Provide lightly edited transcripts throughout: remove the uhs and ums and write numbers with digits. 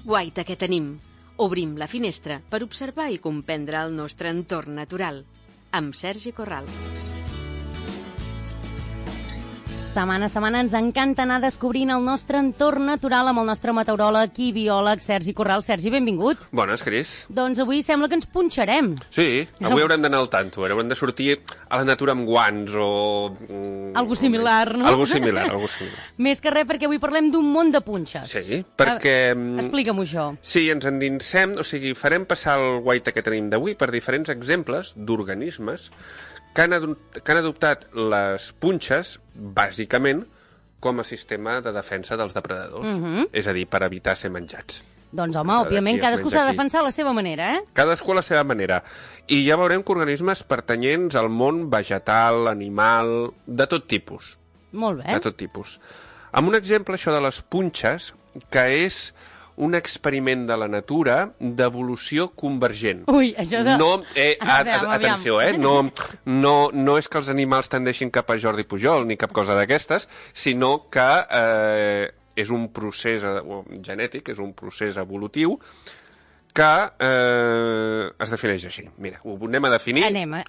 Guaita que tenim. Obrim la finestra per observar i comprendre el nostre entorn natural. Amb Sergi Corral. Setmana a setmana ens encanta anar descobrint el nostre entorn natural amb el nostre meteoròleg i biòleg Sergi Corral. Sergi, benvingut. Bones, Cris. Doncs avui sembla que ens punxarem. Sí, avui haurem d'anar al tanto. Haurem de sortir a la natura amb guants o... Algo similar, no? Algo similar. Més que res perquè avui parlem d'un món de punxes. Sí, perquè... Explica'm això. Sí, ens endinsem, o sigui, farem passar el guaita que tenim d'avui per diferents exemples d'organismes que han adoptat les punxes, bàsicament, com a sistema de defensa dels depredadors. És a dir, per evitar ser menjats. Doncs, home, òbviament, cadascú s'ha de defensar a la seva manera, eh? Cadascú a la seva manera. I ja veurem que organismes pertanyents al món vegetal, animal, de tot tipus. Molt bé. De tot tipus. Amb un exemple, això de les punxes, que és un experiment de la natura d'evolució convergent. Ui, això de... No, Aviam. atenció, no és que els animals tendeixin cap a Jordi Pujol ni cap cosa d'aquestes, sinó que és un procés genètic, és un procés evolutiu que es defineix així. Mira, ho anem a definir.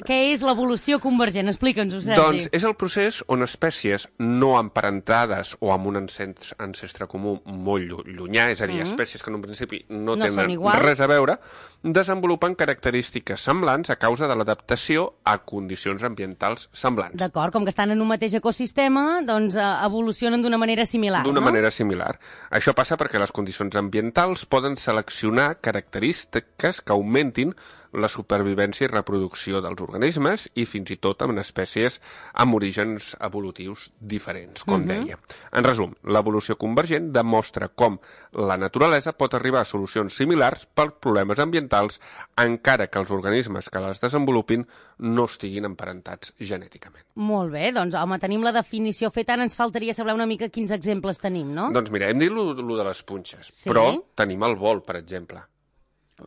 Què és l'evolució convergent? Explica'ns-ho, Sergi. Doncs és el procés on espècies no emparentades o amb un ancestre comú molt llunyà, és a dir, espècies que en un principi no tenen res a veure, desenvolupen característiques semblants a causa de l'adaptació a condicions ambientals semblants. D'acord, com que estan en un mateix ecosistema, doncs evolucionen d'una manera similar, D'una manera similar. Això passa perquè les condicions ambientals poden seleccionar característiques que augmentin la supervivència i reproducció dels organismes i fins i tot en espècies amb orígens evolutius diferents, com deia. En resum, l'evolució convergent demostra com la naturalesa pot arribar a solucions similars per problemes ambientals encara que els organismes que les desenvolupin no estiguin emparentats genèticament. Molt bé, doncs, home, tenim la definició feta, ara ens faltaria saber una mica quins exemples tenim, no? Doncs mira, hem dit lo de les punxes, però tenim el vol, per exemple.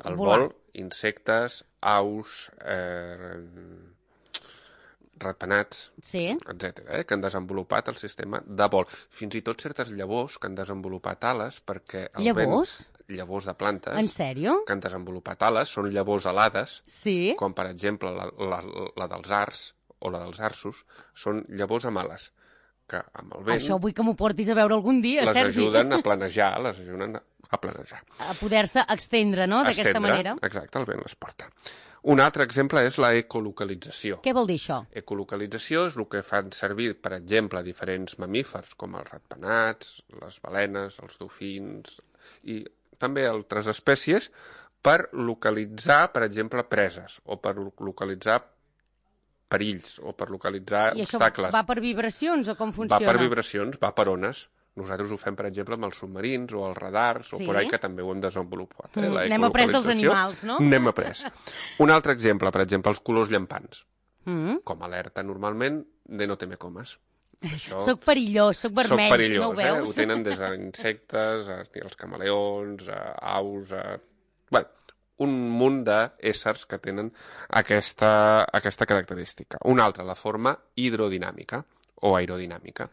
El vol, insectes, aus, ratpenats, etc., que han desenvolupat el sistema de vol. Fins i tot certes llavors que han desenvolupat ales perquè... Llavors? Llavors de plantes. En sèrio? Que han desenvolupat ales, són llavors alades, sí, com per exemple la dels arcs o la dels arços, són llavors amb ales, que amb el vent... Això vull que m'ho portis a veure algun dia, les Sergi. ajuden a planejar, a planejar. A poder-se extendre, no?, d'aquesta manera. Exacte, el vent les porta. Un altre exemple és la ecolocalització. Què vol dir això? Ecolocalització és el que fan servir, per exemple, diferents mamífers, com els ratpenats, les balenes, els dofins i també altres espècies, per localitzar, per exemple, preses, o per localitzar perills, o per localitzar obstacles. I això va per vibracions, o com funciona? Va per vibracions, va per ones. Nosaltres ho fem, per exemple, amb els submarins o els radars, o por ahí, que també ho hem desenvolupat. N'hem après dels animals, no? N'hem après. Un altre exemple, per exemple, els colors llampants. Com alerta, normalment, de no te me comes. Soc perillós, soc vermell, soc perillós, no ho veus? Ho tenen des d'insectes, els camaleons, aus, bueno, un munt d'éssers que tenen aquesta característica. Un altre, la forma hidrodinàmica o aerodinàmica.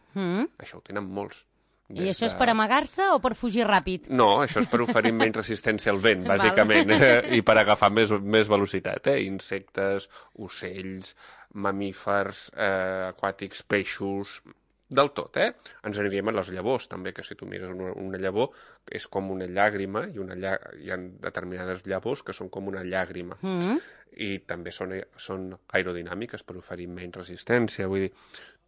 Això ho tenen molts. I això és per amagar-se o per fugir ràpid? No, això és per oferir menys resistència al vent, bàsicament, i per agafar més velocitat. Insectes, ocells, mamífers, aquàtics, peixos, del tot. Ens aniríem a les llavors, també, que si tu mires una llavor és com una llàgrima, i hi ha determinades llavors que són com una llàgrima. I també són aerodinàmiques per oferir menys resistència, vull dir...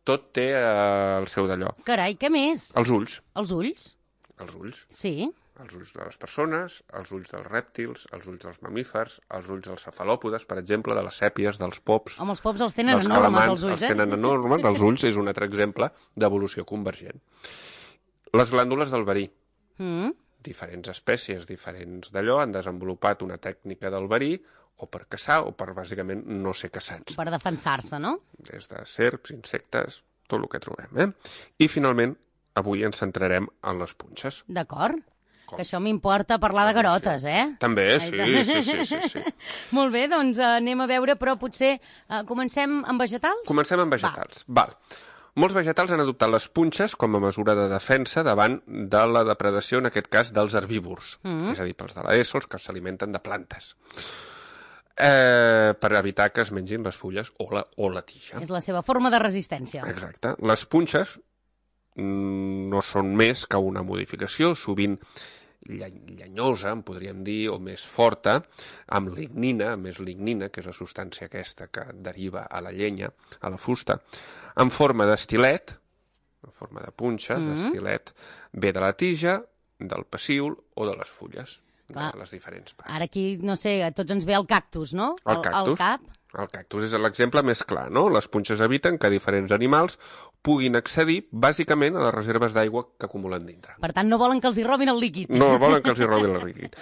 Tot té el seu d'allò. Carai, què més? Els ulls. Els ulls? Els ulls. Sí. Els ulls de les persones, els ulls dels rèptils, els ulls dels mamífers, els ulls dels cefalòpodes, per exemple, de les sèpies, dels pops. Home, els pops els tenen enormes, els ulls, els tenen enormes, els ulls és un altre exemple d'evolució convergent. Les glàndules del verí. Diferents espècies, diferents d'allò, han desenvolupat una tècnica del verí, o per caçar, o per, bàsicament, no ser caçats. Per defensar-se, no? Des de serps, insectes, tot el que trobem, I, finalment, avui ens centrarem en les punxes. D'acord. Que això m'importa parlar de garotes, També, sí. Molt bé, doncs anem a veure, però potser comencem amb vegetals? Comencem amb vegetals, val. Molts vegetals han adoptat les punxes com a mesura de defensa davant de la depredació, en aquest cas, dels herbívors. És a dir, pels de l'ESO, els que s'alimenten de plantes. Per evitar que es mengin les fulles o la tija. És la seva forma de resistència. Exacte. Les punxes no són més que una modificació, sovint llenyosa, en podríem dir, o més forta, amb lignina, més lignina, que és la substància aquesta que deriva a la llenya, a la fusta, en forma d'estilet, en forma de punxa, d'estilet, ve de la tija, del pecíol o de les fulles, de les diferents parts. Ara aquí, no sé, a tots ens ve el cactus, no? El cactus. El cactus és l'exemple més clar, no? Les punxes eviten que diferents animals puguin accedir, bàsicament, a les reserves d'aigua que acumulen dintre. Per tant, no volen que els hi robin el líquid. No volen que els hi robin el líquid.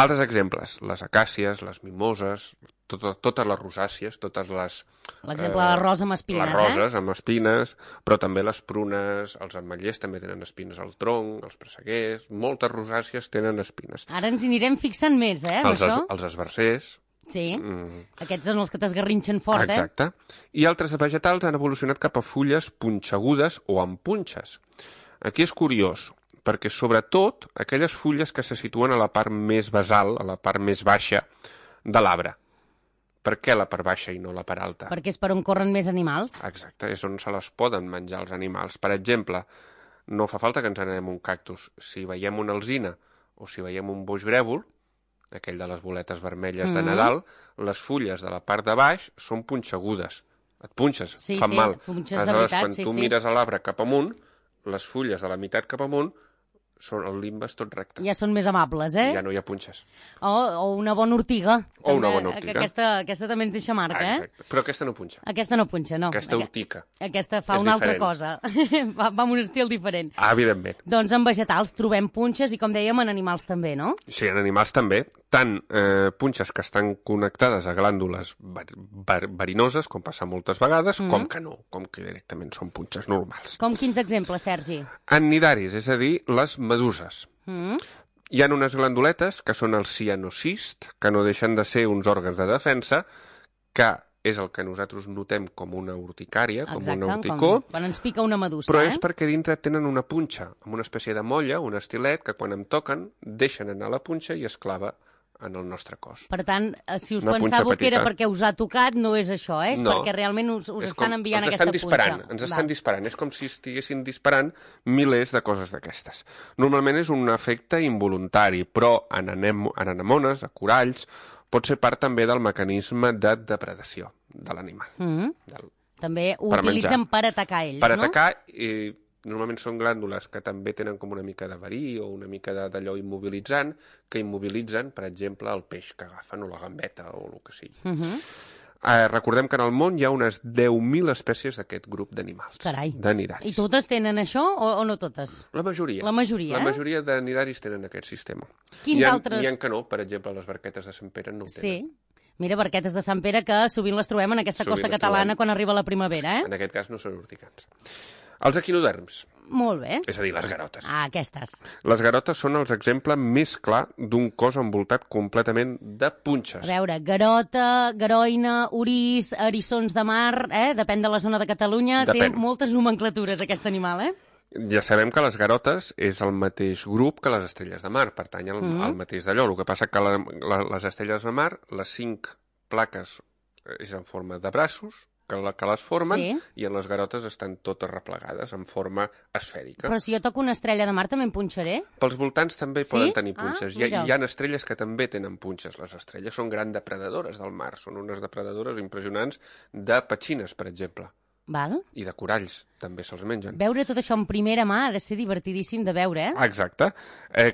Altres exemples, les acàcies, les mimoses, totes les rosàcies, totes les... L'exemple de la rosa amb espines, les roses amb espines, però també les prunes, els ametllers també tenen espines al tronc, els presseguers, moltes rosàcies tenen espines. Ara ens hi anirem fixant més, amb això. Els esbarzers... Sí, aquests són els que t'esgarrinxen fort, Exacte. I altres vegetals han evolucionat cap a fulles punxegudes o amb punxes. Aquí és curiós, perquè sobretot aquelles fulles que se situen a la part més basal, a la part més baixa de l'arbre. Per què la part baixa i no la part alta? Perquè és per on corren més animals. Exacte, és on se les poden menjar els animals. Per exemple, no fa falta que ens anem un cactus. Si veiem una alzina o si veiem un boix grèvol, aquell de les boletes vermelles de Nadal, les fulles de la part de baix són punxegudes. Et punxes, fan mal. Punxes de veritat, quan tu mires a l'arbre cap amunt, les fulles de la meitat cap amunt, el limbe és tot recte. Ja són més amables, Ja no hi ha punxes. O una bona ortiga. O una bona ortiga. Aquesta també ens deixa marca, Exacte. Però aquesta no punxa. Aquesta no punxa, no. Aquesta urtica. Aquesta fa una altra cosa. Va amb un estil diferent. Evidentment. Doncs en vegetals trobem punxes i, com dèiem, en animals també, no? Sí, en animals també. Tant punxes que estan connectades a glàndules verinoses, com passa moltes vegades, com que no, com que directament són punxes normals. Com quins exemples, Sergi? En nidaris, és a dir, les meduses. Hi ha unes glanduletes, que són els cianocists, que no deixen de ser uns òrgans de defensa, que és el que nosaltres notem com una urticària, com una urticó. Quan ens pica una medusa, però és perquè dintre tenen una punxa, amb una espècie de molla, un estilet, que quan em toquen, deixen anar la punxa i es clava en el nostre cos. Per tant, si us pensàveu que era perquè us ha tocat, no és això, és perquè realment us estan enviant aquesta punxa. Ens estan disparant. És com si estiguessin disparant milers de coses d'aquestes. Normalment és un efecte involuntari, però en anemones, a coralls, pot ser part també del mecanisme de depredació de l'animal. També ho utilitzen per atacar ells, no? Per atacar, normalment són glàndules que també tenen com una mica de verí o una mica d'allò immobilitzant, que immobilitzen, per exemple, el peix que agafen o la gambeta o el que sigui. Recordem que en el món hi ha unes 10.000 espècies d'aquest grup d'animals. Carai. De nidaris. I totes tenen això o no totes? La majoria. La majoria, La majoria de nidaris tenen aquest sistema. Quins altres? N'hi ha que no, per exemple, les barquetes de Sant Pere no ho tenen. Sí. Mira, barquetes de Sant Pere que sovint les trobem en aquesta costa catalana quan arriba la primavera, En aquest cas no són urticants. Els equinoderms. Molt bé. És a dir, les garotes. Aquestes. Les garotes són els exemples més clar d'un cos envoltat completament de punxes. A veure, garota, garoina, orís, eriçons de mar, depèn de la zona de Catalunya, té moltes nomenclatures aquest animal, Ja sabem que les garotes és el mateix grup que les estrelles de mar, pertany al mateix d'allò. El que passa que les estrelles de mar, les 5 plaques és en forma de braços, que les formen, i en les garotes estan totes replegades en forma esfèrica. Però si jo toco una estrella de mar també em punxaré? Pels voltants també poden tenir punxes. Hi ha estrelles que també tenen punxes. Les estrelles són grans depredadores del mar, són unes depredadores impressionants de petxines, per exemple. Val. I de coralls, també se'ls mengen. Veure tot això en primera mà ha de ser divertidíssim de veure, Exacte.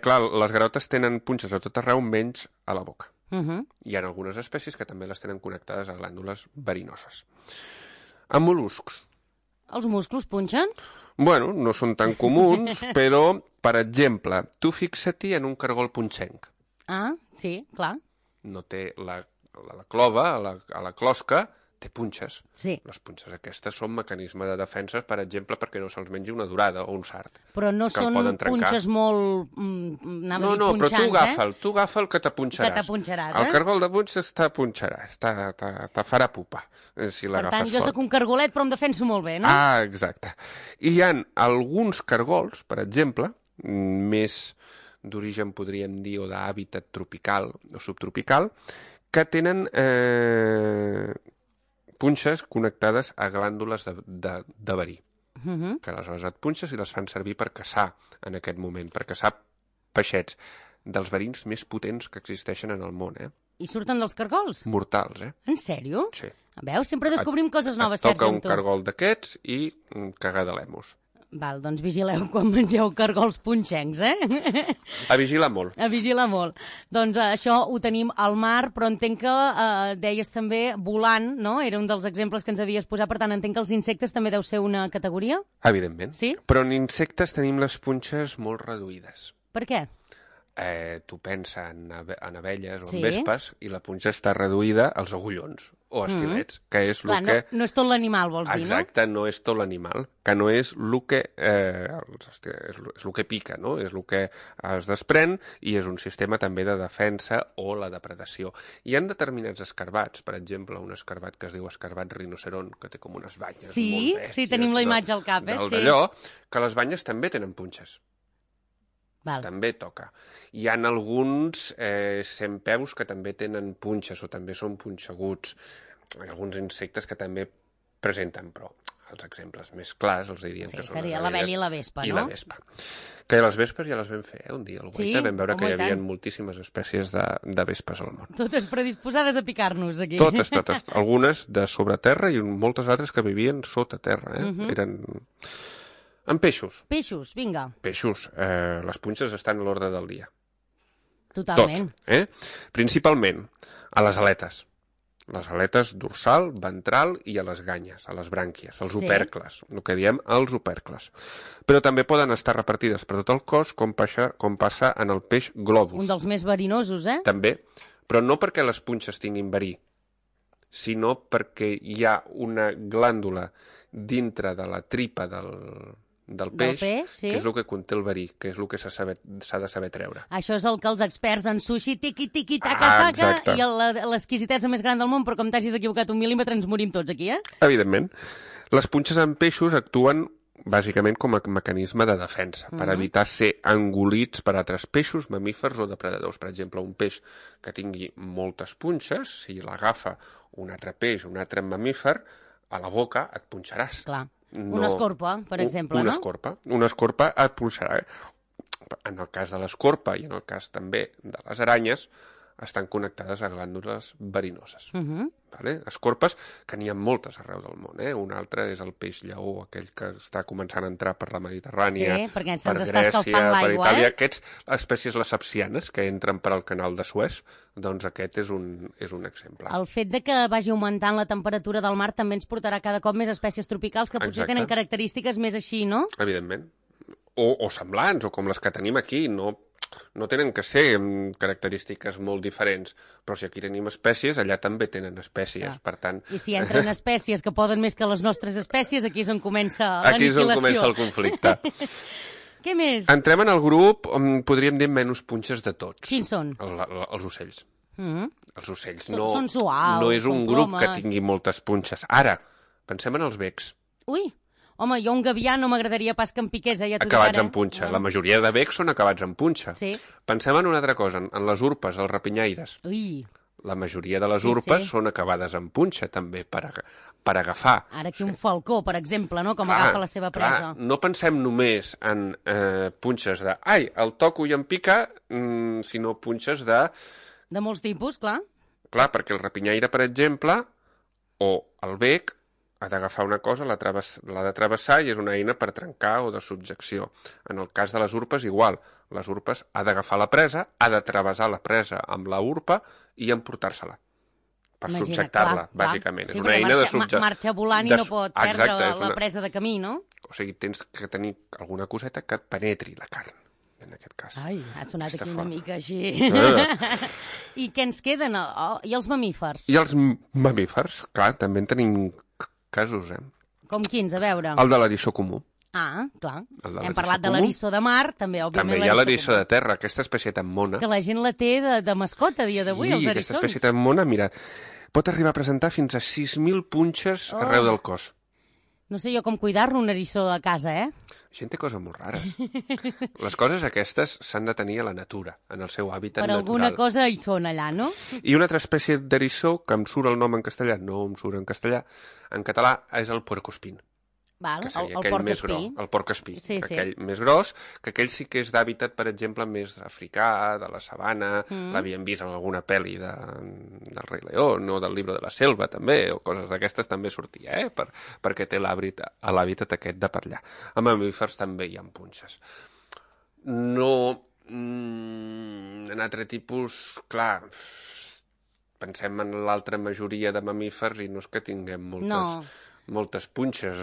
Clar, les garotes tenen punxes a tot arreu, menys a la boca. Hi ha algunes espècies que també les tenen connectades a glàndules verinoses. Amb mol·luscs. Els musclos punxen? Bueno, no són tan comuns, però, per exemple, tu fixa-t'hi en un cargol punxenc. Sí, clar. No té la clova, a la closca, té punxes. Sí. Les punxes aquestes són mecanisme de defensa, per exemple, perquè no se'ls mengi una durada o un sart. Però no són punxes molt... No, però tu agafa'l que t'apunxaràs. Que t'apunxaràs, El cargol de punxes t'apunxaràs, te farà pupa, si l'agafes fort. Per tant, jo sóc un cargolet, però em defenso molt bé, no? Ah, exacte. I hi ha alguns cargols, per exemple, més d'origen, podríem dir, o d'hàbitat tropical o subtropical, que tenen punxes connectades a glàndules de verí. Que aleshores et punxes i les fan servir per caçar en aquest moment, per caçar peixets dels verins més potents que existeixen en el món, I surten dels cargols? Mortals, En sèrio? Sí. Veus? Sempre descobrim coses noves, Sergi, toca amb un tu. cargol d'aquests i cagar de l'emos. Val, doncs vigileu quan mengeu cargols punxencs, A vigilar molt. A vigilar molt. Doncs això ho tenim al mar, però entenc que deies també volant, no? Era un dels exemples que ens havies posat, per tant entenc que els insectes també deu ser una categoria? Evidentment. Sí? Però en insectes tenim les punxes molt reduïdes. Per què? Tu pensa en abelles o Sí. en vespes i la punxa està reduïda als agullons o estilets, que és el Clar, que... no és tot l'animal, vols dir, no? Exacte, no és tot l'animal, que no és el que, és el que pica, no? És el que es desprèn i és un sistema també de defensa o la depredació. Hi ha determinats escarbats, per exemple, un escarbat que es diu escarbat rinoceron, que té com unes banyes molt bèsties. Sí, tenim la imatge al cap, sí. D'allò, que les banyes també tenen punxes. Val. També toca. Hi ha alguns centpeus que també tenen punxes o també són punxeguts. Hi ha alguns insectes que també presenten, però els exemples més clars els dirien que són seria les l'abella i la vespa, no? I la vespa. Que les vespes ja les vam fer, un dia al Guaita. Vam veure que hi havia moltíssimes espècies de vespes al món. Totes predisposades a picar-nos, aquí. Totes. Algunes de sobre terra i moltes altres que vivien sota terra. Eren... En peixos. Peixos, vinga. Peixos. Les punxes estan a l'ordre del dia. Totalment. Tot. Principalment a les aletes. Les aletes dorsal, ventral i a les ganyes, a les brànquies, als opercles, el que diem els opercles. Però també poden estar repartides per tot el cos, com passa en el peix globus. Un dels més verinosos, També, però no perquè les punxes tinguin verí, sinó perquè hi ha una glàndula dintre de la tripa del peix, sí. que és el que conté el verí, que és el que s'ha de saber treure. Això és el que els experts en sushi tiqui, taca, i l'exquisitesa més gran del món, però com t'hagis equivocat un mil·límetre ens morim tots aquí, Evidentment. Les punxes en peixos actuen bàsicament com a mecanisme de defensa, per evitar ser engolits per altres peixos, mamífers o depredadors. Per exemple, un peix que tingui moltes punxes, si l'agafa un altre peix, un altre mamífer, a la boca et punxaràs. Clar. Una escorpa, per exemple, no? Una escorpa et punxarà. En el cas de l'escorpa i en el cas també de les aranyes, estan connectades a glàndules verinoses. Vale? Escorpes, que n'hi ha moltes arreu del món. Un altre és el peix lleó, aquell que està començant a entrar per la Mediterrània, perquè per Grècia, per Itàlia. Aquests, espècies lesapsianes, que entren per al canal de Suez, doncs aquest és un exemple. El fet de que vagi augmentant la temperatura del mar també ens portarà cada cop més espècies tropicals que potser tenen característiques més així, no? Evidentment. O semblants, o com les que tenim aquí, no tenen que ser característiques molt diferents, però si aquí tenim espècies, allà també tenen espècies, per tant... I si entren espècies que poden més que les nostres espècies, aquí és on comença l'aniquilació. Aquí és on comença el conflicte. Què més? Entrem en el grup on podríem dir menys punxes de tots. Quins són? Els ocells. Els ocells són suaus, no és un grup que tingui moltes punxes. Ara, pensem en els becs. Ui! Home, jo un gavià no m'agradaria pas que em piqués, ja t'ho dic acabats en punxa. La majoria de becs són acabats en punxa. Sí. Pensem en una altra cosa, en les urpes, els rapinyaires. Ui. La majoria de les urpes són acabades en punxa, també, per agafar. Ara aquí un falcó, per exemple, no? Com agafa la seva presa. No pensem només en punxes de ai, el toco i em pica, sinó punxes de... De molts tipus, clar. Clar, perquè el rapinyaire, per exemple, o el bec, ha d'agafar una cosa, l'ha de travessar i és una eina per trencar o de subjecció. En el cas de les urpes, igual. Les urpes ha d'agafar la presa, ha de travessar la presa amb la urpa i emportar-se-la. Per subjectar-la, bàsicament. És una eina de subjecció. Marxa volant i no pot perdre la presa de camí, no? O sigui, tens que tenir alguna coseta que et penetri la carn. en aquest cas. Ai, ha sonat Aquesta aquí una forma. mica així. I què ens queden? I els mamífers? I els mamífers, clar, també en tenim casos, Com quins? A veure. El de l'eriçó comú. Ah, clar. El de Hem l'eriçó parlat de comú. l'eriçó de mar, també, òbviament. També hi ha l'eriçó de terra, aquesta espècie tan mona. Que la gent la té de mascota a dia d'avui, els Sí, eriçons. aquesta espècie tan mona, mira, pot arribar a presentar fins a 6.000 punxes arreu del cos. No sé jo com cuidar-lo, un eriçó a casa, La gent té coses molt rares. Les coses aquestes s'han de tenir a la natura, en el seu hàbitat Per natural. alguna cosa hi són allà, no? I una altra espècie d'eriçó, que em surt el nom en castellà, no em surt en castellà, en català és el puercoespín. Val, Que seria el aquell porc més espí. gros, el porc espí, Sí, sí. aquell més gros, que aquell sí que és d'hàbitat, per exemple, més africà, de la sabana, l'havien vist en alguna pel·li del Rei León o del Libro de la Selva, també, o coses d'aquestes també sortia, perquè té l'hàbitat aquest de per allà. A mamífers també hi ha punxes. No... en altre tipus, clar, pensem en l'altra majoria de mamífers i no és que tinguem moltes punxes,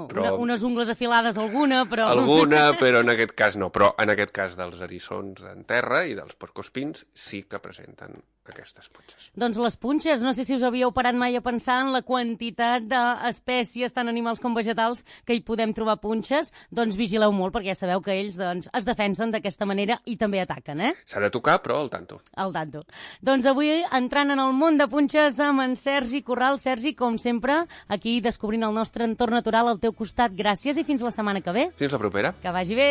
però... Unes ungles afilades alguna, però... Alguna, però en aquest cas no. Però en aquest cas dels eriçons en terra i dels porcoespins sí que presenten aquestes punxes. Doncs les punxes, no sé si us havíeu parat mai a pensar en la quantitat d'espècies, tant animals com vegetals, que hi podem trobar punxes, doncs vigileu molt, perquè ja sabeu que ells es defensen d'aquesta manera i també ataquen, S'ha de tocar, però al tanto. Al tanto. Doncs avui, entrant en el món de punxes amb en Sergi Corral. Sergi, com sempre, aquí descobrint el nostre entorn natural al teu costat. Gràcies i fins la setmana que ve. Fins la propera. Que vagi bé!